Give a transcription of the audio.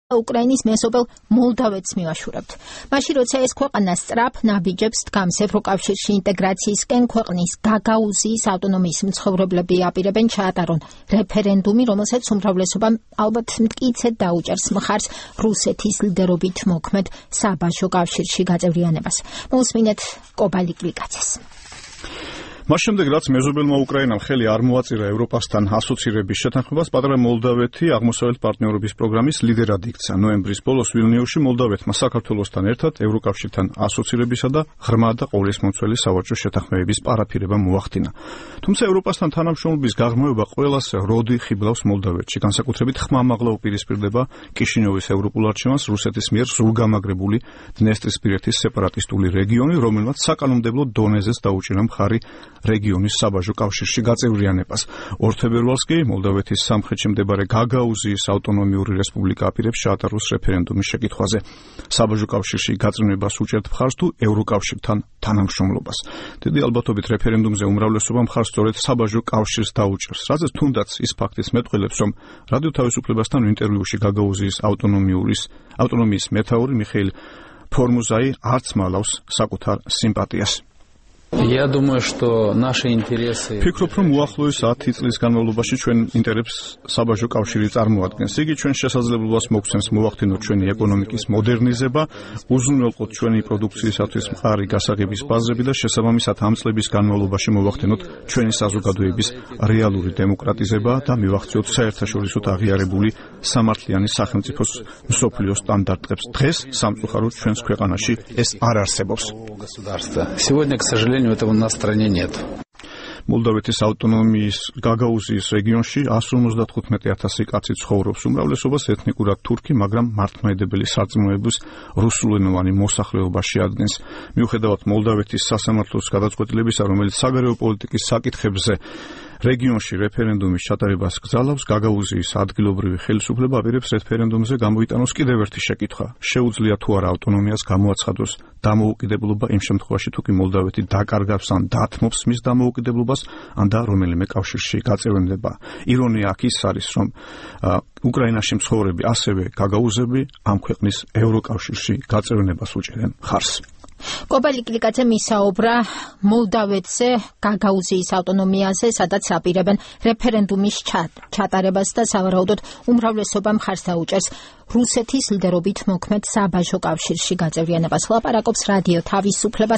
უკრაინის მეზობელ მოლდავეთს მივაშურებთ. მაშინ როცა ეს ქვეყანა სწრაფ ნაბიჯებს დგამს ევროკავშირში ინტეგრაციისკენ, ქვეყნის გაგაუზიის ავტონომიის მცხოვრებლები აპირებენ ჩაატარონ რეფერენდუმი, რომელსაც უმრავლესობამ ალბათ მტკიცედ დაუჭერს მხარს რუსეთის ლიდერობით მოქმედ საბაჟო კავშირში გაწევრიანებას. მოусმინეთ კობალი კლიკაცეს. მას შემდეგ, რაც მეზობელმა უკრაინამ ხელი არ მოაწირა ევროპასთან ასოცირების შეთანხმებას, პატარა მოლდავეთი აღმოსავლეთ პარტნიორობის პროგრამის ლიდერად იქცა. ნოემბრის ბოლოს ვილნიუსში მოლდავეთმა საქართველოსთან ერთად ევროკავშირთან ასოცირებისა და ღრმა და ყოვლისმომცველი სავაჭრო შეთანხმებების პარაფირება მოახდინა. თუმცა ევროპასთან თანამშრომლობის გაღრმავება ყველას როდი ხიბლავს მოლდავეთში, განსაკუთრებით ხმამაღლა უპირისპირდება კიშინიოვის ევროპულ არჩევანს რუსეთის მიერ სრულგამაგრებული დნესტრისპირეთის სეპარატისტული რეგიონი, რომელმაც საკანონმდებლო დონეზეც დაუჭირა მხარი რეგიონის საბაჟო კავშირში გაწევრიანებას. 2 თებერვალს კი მოლდავეთის სამხრეთში მდებარე გაგაუზიის ავტონომიური რესპუბლიკა აპირებს ჩაატაროს რეფერენდუმის შეკითხვაზე. საბაჟო კავშირში გაწევრიანებას უჭერთ მხარს თუ ევროკავშირთან თანამშრომლობას. დიდი ალბათობით რეფერენდუმზე უმრავლესობა მხარს სწორედ საბაჟო კავშირს დაუჭერს, რაზეც თუნდაც ის ფაქტიც მეტყველებს, რომ რადიო თავისუფლებასთან ინტერვიუში გაგაუზიის ავტონომიის მეთაური მიხეილ ფორმუზაი არც მალავს საკუთარ სიმპათიას. Ფიქრობ, რომ უახლოეს 10 წლის განმავლობაში ჩვენ ინტერესებს საბაჟო კავშირი წარმოადგენს. იგი ჩვენ შესაძლებლობას მოგცემს მოვახდინოთ ჩვენი ეკონომიკის მოდერნიზება, უზრუნველყოთ ჩვენი პროდუქციისათვის მყარი გასაღების ბაზრები და შესაბამისად ამ წლების განმავლობაში მოვახდინოთ ჩვენი საზოგადოების რეალური დემოკრატიზება და მივახციოთ საერთაშორისო აღიარებული სამართლიანი სახელმწიფოს მსოფლიო სტანდარტებს. დღეს სამწუხაროდ ჩვენს ქვეყანაში ეს არ არსებობს. Этого на стране нет. მოლდავეთის ავტონომიის გაგაუზიის რეგიონში 155,000 კაცი ცხოვრობს. უმრავლესობას ეთნიკურად თურქი, მაგრამ მართლმადიდებელი სარწმუნოების რუსულენოვანი მოსახლეობა შეადგენს. მიუხედავად მოლდავეთის სასამართლოს გადაწყვეტილებისა, რომელიც საგარეო პოლიტიკის საკითხებზე რეგიონში რეფერენდუმის ჩატარებას გზავნავს, გაგაუზიის ადგილობრივი ხელისუფლება აპირებს რეფერენდუმზე გამოიტანოს კიდევ ერთი შეკითხვა. შეუძლია თუ არა ავტონომიას გამოაცხადოს დამოუკიდებლობა იმ შემთხვევაში, თუ კი მოლდავეთი დაკარგავს ან დათმობს მის დამოუკიდებლობას, ან და რომელიმე კავშირში გაწევრიანდება. ირონია აქ ის არის, რომ უკრაინაში მცხოვრები ასევე გაგაუზები ამ ქვეყნის ევროკავშირში გაწევრიანებას უჭერენ მხარს. კობალი კლიკაცე მისაუბრა მოლდავეთზე, გაგაუზიის ავტონომიაზე, სადაც აპირებენ რეფერენდუმის ჩატარებას და სავარაუდოდ უმრავლესობა მხარს დაუჭერს რუსეთის ლიდერობით მოქმედ საბაჟო კავშირში გაწევრიანებას. ლაპარაკობს რადიო თავისუფლება